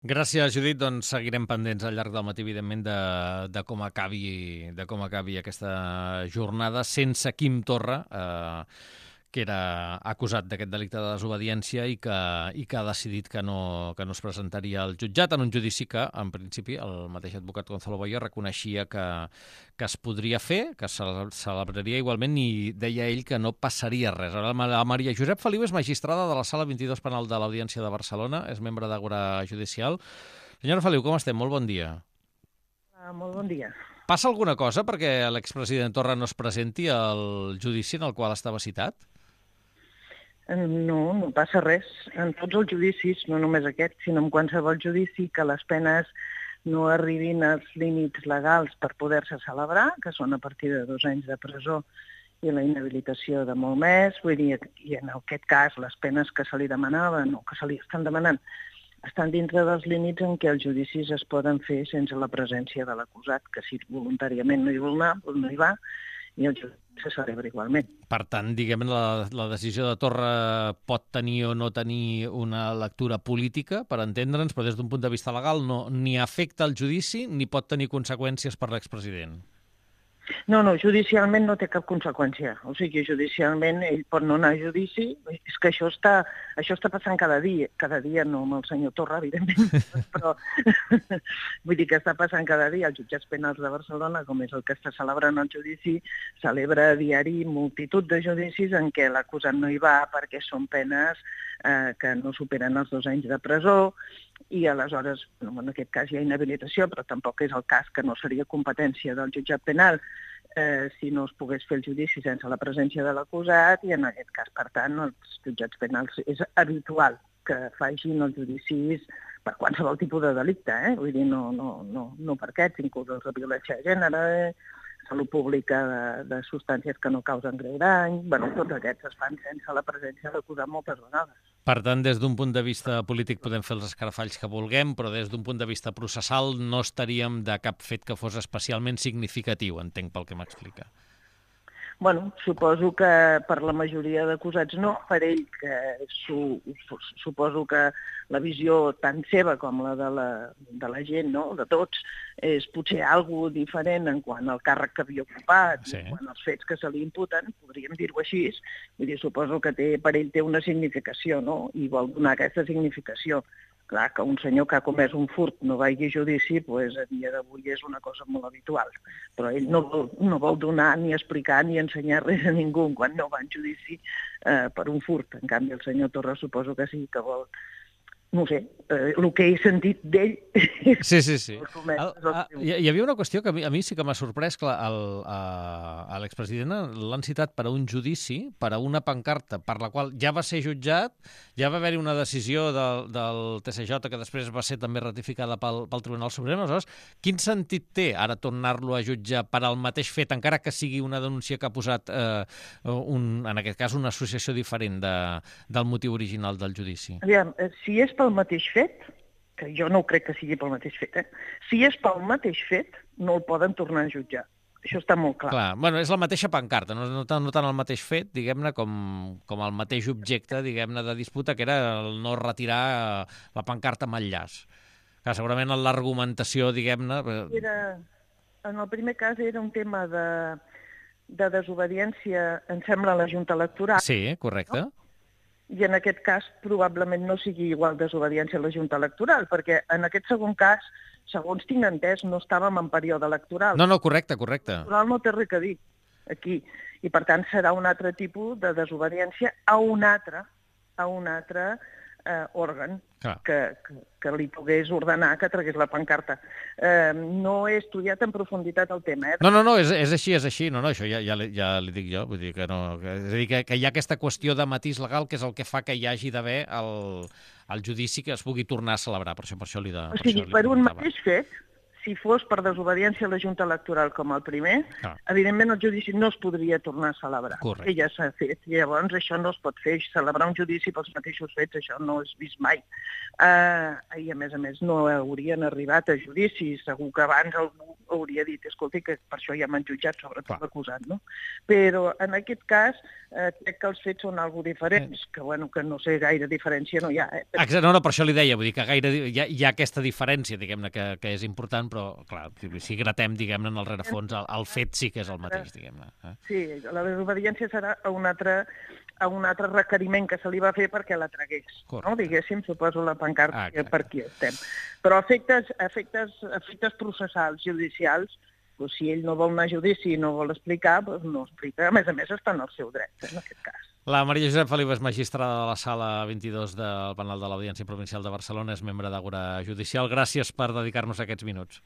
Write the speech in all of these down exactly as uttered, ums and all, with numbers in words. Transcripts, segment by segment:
Gràcies, Judit. Doncs seguirem pendents al llarg del matí, evidentment, de, de, com, acabi, de com acabi aquesta jornada sense Quim Torra, eh, que era acusat d'aquest delicte de desobediència i que, i que ha decidit que no, que no es presentaria al jutjat en un judici que, en principi, el mateix advocat Gonzalo Boye reconeixia que, que es podria fer, que se celebraria igualment, i deia ell que no passaria res. Ara, la Maria Josep Feliu és magistrada de la Sala vint-i-dos Penal de l'Audiència de Barcelona, és membre d'Àgora Judicial. Senyora Feliu, com estem? Molt bon dia. Uh, molt bon dia. Passa alguna cosa perquè l'expresident Torra no es presenti al judici en el qual estava citat? No, no passa res. En tots els judicis, no només aquest, sinó en qualsevol judici, que les penes no arribin als límits legals per poder-se celebrar, que són a partir de dos anys de presó i la inhabilitació de molt més. Vull dir, i en aquest cas, les penes que se li demanaven o que se li estan demanant estan dintre dels límits en què els judicis es poden fer sense la presència de l'acusat, que si voluntàriament no hi vol anar, doncs no hi va, i el judici se celebra igualment. Per tant, diguem, la, la decisió de Torra pot tenir o no tenir una lectura política, per entendre'ns, però des d'un punt de vista legal no ni afecta el judici ni pot tenir conseqüències per l'expresident. No, no, judicialment no té cap conseqüència. O sigui, judicialment ell pot no anar a judici. És que això està, això està passant cada dia. Cada dia no amb el senyor Torra, evidentment, però vull dir que està passant cada dia. Els jutjats penals de Barcelona, com és el que està celebrant el judici, celebra a diari multitud de judicis en què l'acusat no hi va perquè són penes eh, que no superen els dos anys de presó, i aleshores, en aquest cas hi ha inhabilitació, però tampoc és el cas que no seria competència del jutjat penal eh, si no es pogués fer el judici sense la presència de l'acusat, i en aquest cas, per tant, els jutjats penals és habitual que facin els judicis per qualsevol tipus de delicte, eh? Vull dir, no, no, no, no per aquests, inclús els de violència de gènere, salut pública de, de substàncies que no causen greu dany, bueno, tots aquests es fan sense la presència de l'acusat moltes vegades. Per tant, des d'un punt de vista polític podem fer els escarafalls que vulguem, però des d'un punt de vista processal no estaríem de cap fet que fos especialment significatiu, entenc pel que m'explica. Bueno, suposo que per la majoria d'acusats no, per ell, que su, suposo que la visió tant seva com la de la, de la gent, no?, de tots, és potser alguna diferent en quant al càrrec que havia ocupat, sí, en quant als fets que se li imputen, podríem dir-ho així. Vull dir, suposo que té, per ell té una significació, no?, i vol donar aquesta significació. Clar, que un senyor que ha comès un furt no vagi a judici, doncs a dia d'avui és una cosa molt habitual. Però ell no vol, no vol donar ni explicar ni ensenyar res a ningú quan no va en judici eh, per un furt. En canvi, el senyor Torra suposo que sí que vol, no sé, eh, el que he sentit d'ell... Sí, sí, sí. El, a, hi havia una qüestió que a mi, a mi sí que m'ha sorprès, clar, el, a, a l'expresident l'han citat per a un judici, per a una pancarta, per la qual ja va ser jutjat, ja va haver-hi una decisió del, del T S J que després va ser també ratificada pel, pel Tribunal Suprem. Aleshores, quin sentit té ara tornar-lo a jutjar per al mateix fet, encara que sigui una denúncia que ha posat, eh, un, en aquest cas, una associació diferent de, del motiu original del judici? Aviam, si és pel mateix fet, que jo no crec que sigui pel mateix fet, eh? Si és pel mateix fet, no el poden tornar a jutjar. Això està molt clar. Clar, bueno, és la mateixa pancarta, no, no, tant, no tant el mateix fet, diguem-ne, com, com el mateix objecte, diguem-ne, de disputa, que era el no retirar la pancarta amb el llaç. Clar, segurament l'argumentació, diguem-ne... Era, en el primer cas era un tema de, de desobediència, em sembla, a la Junta Electoral. Sí, correcte. No? I en aquest cas probablement no sigui igual desobediència a la Junta Electoral, perquè en aquest segon cas, segons tinc entès, no estàvem en període electoral. No, no, correcte, correcte. Electoral no té res a dir aquí, i per tant serà un altre tipus de desobediència a un altre, a un altre eh, òrgan que, que, que li pogués ordenar que tragués la pancarta. Eh, no he estudiat en profunditat el tema. Eh? No, no, no, és, és així, és així. No, no, això ja, ja, ja li dic jo. Vull dir que no, que, és a dir, que, que hi ha aquesta qüestió de matís legal que és el que fa que hi hagi d'haver el, el judici que es pugui tornar a celebrar. Per això, per això li de, o sigui, per, per un mateix fet, si fos per desobediència a la Junta Electoral com el primer, ah. evidentment el judici no es podria tornar a celebrar. Correcte. Que ja s'ha fet. Llavors això no es pot fer. Celebrar un judici pels mateixos fets, això no és vist mai. Uh, I a més a més no haurien arribat a judici. Segur que abans algú hauria dit, escolti, que per això ja m'han jutjat, sobretot l'acusat, no? Però en aquest cas eh, crec que els fets són algo diferents, que bueno, que no sé, gaire diferència no hi ha. Eh? Exacte, no, no, per això li deia, vull dir que gaire hi ha, hi ha aquesta diferència, diguem-ne, que, que és important, però, clar, si gratem, diguem-ne, en el rerefons, el, el fet sí que és el mateix, diguem-ne. Eh? Sí, la desobediència serà a un altre, a un altre requeriment que se li va fer perquè la tragués, no? Diguéssim, suposo la pancarta ah, per aquí estem. Però efectes, efectes, efectes processals, judicials, doncs, si ell no vol anar a judici i no vol explicar, doncs no explica. A més a més, està en el seu dret, en aquest cas. La Maria Josep Feliu és magistrada de la sala vint-i-dos del penal de l'Audiència Provincial de Barcelona, és membre d'Àgora Judicial. Gràcies per dedicar-nos aquests minuts.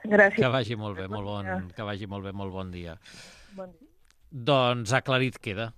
Gràcies. Que vagi molt bé, molt bon, que vagi molt bé, molt bon dia. Bon dia. Doncs aclarit queda.